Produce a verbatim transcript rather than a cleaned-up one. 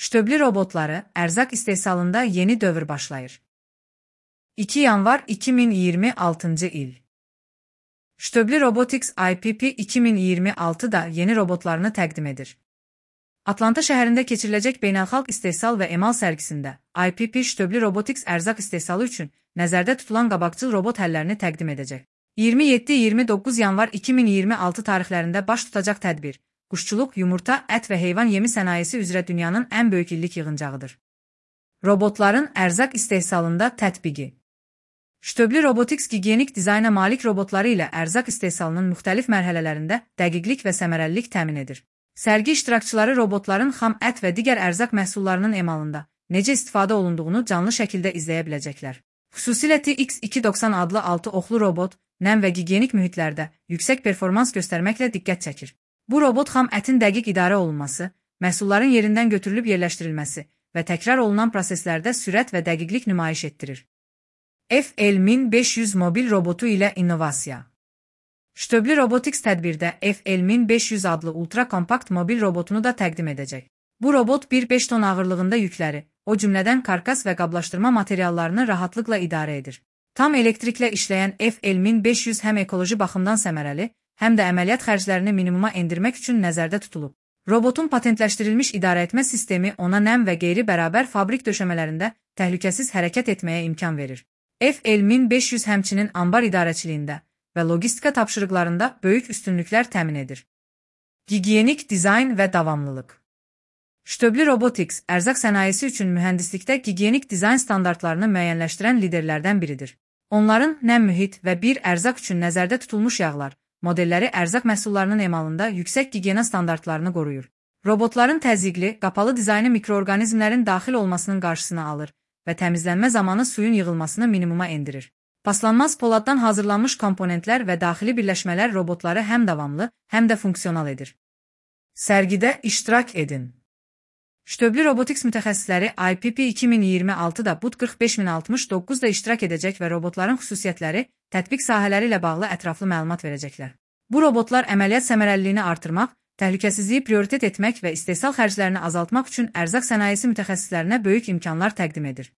Ştöbli robotları ərzaq istehsalında yeni dövr başlayır. iki yanvar iki min iyirmi altıncı il. Ştöbli Robotics I P P iki min iyirmi altı da yeni robotlarını təqdim edir. Atlanta şəhərində keçiriləcək beynəlxalq istehsal və emal sərgisində I P P Ştöbli Robotics ərzaq istehsalı üçün nəzərdə tutulan qabaqcıl robot həllərini təqdim edəcək. iyirmi yeddi iyirmi doqquz yanvar iki min iyirmi altı tarixlərində baş tutacaq tədbir, quşçuluq, yumurta, ət və heyvan yemi sənayesi üzrə dünyanın ən böyük illik yığıncağıdır. Robotların ərzaq istehsalında tətbiqi. Ştöbli Robotics gigiyenik dizayna malik robotları ilə ərzaq istehsalının müxtəlif mərhələlərində dəqiqlik və səmərəlilik təmin edir. Sərgi iştirakçıları robotların xam ət və digər ərzaq məhsullarının emalında necə istifadə olunduğunu canlı şəkildə izləyə biləcəklər. Xüsusilə T X iki doxsan adlı altı oxlu robot, nəm və gigiyenik mühitlərdə yüksək performans göstərməklə diqqət çəkir. Bu robot xam ətin dəqiq idarə olunması, məhsulların yerindən götürülüb yerləşdirilməsi və təkrar olunan proseslərdə sürət və dəqiqlik nümayiş etdirir. F L min beş yüz mobil robotu ilə innovasiya. Ştöbli Robotics tədbirdə F L min beş yüz adlı ultra-kompakt mobil robotunu da təqdim edəcək. Bu robot bir beş ton ağırlığında yükləri, o cümlədən karkas və qablaşdırma materiallarını rahatlıqla idarə edir. Tam elektriklə işləyən F L min beş yüz həm ekoloji baxımdan səmərəli, həm də əməliyyat xərclərini minimuma endirmək üçün nəzərdə tutulub. Robotun patentləşdirilmiş idarəetmə sistemi ona nəm və qeyri-bərabər fabrik döşəmələrində təhlükəsiz hərəkət etməyə imkan verir. F L min beş yüz həmçinin ambar idarəçiliyində və logistika tapşırıqlarında böyük üstünlüklər təmin edir. Gigiyenik dizayn və davamlılıq. Ştöbli Robotics ərzaq sənayesi üçün mühəndislikdə gigiyenik dizayn standartlarını müəyyənləşdirən liderlərdən biridir. Onların nəm mühit və bir ərzaq üçün nəzərdə tutulmuş yağlar, modelləri ərzaq məhsullarının emalında yüksək gigiyena standartlarını qoruyur. Robotların təzyiqli, qapalı dizaynı mikroorqanizmlərin daxil olmasının qarşısını alır və təmizlənmə zamanı suyun yığılmasını minimuma endirir. Paslanmaz poladdan hazırlanmış komponentlər və daxili birləşmələr robotları həm davamlı, həm də funksional edir. Sərgidə iştirak edin. Ştöbli Robotics mütəxəssisləri I P P iki min iyirmi altıda B U T qırx beş min altmış doqquzda iştirak edəcək və robotların xüsusiyyətləri, tətbiq sahələri ilə bağlı ətraflı məlumat verəcəklər. Bu robotlar əməliyyat səmərəliliyini artırmaq, təhlükəsizliyi prioritet etmək və istehsal xərclərini azaltmaq üçün ərzaq sənayesi mütəxəssislərinə böyük imkanlar təqdim edir.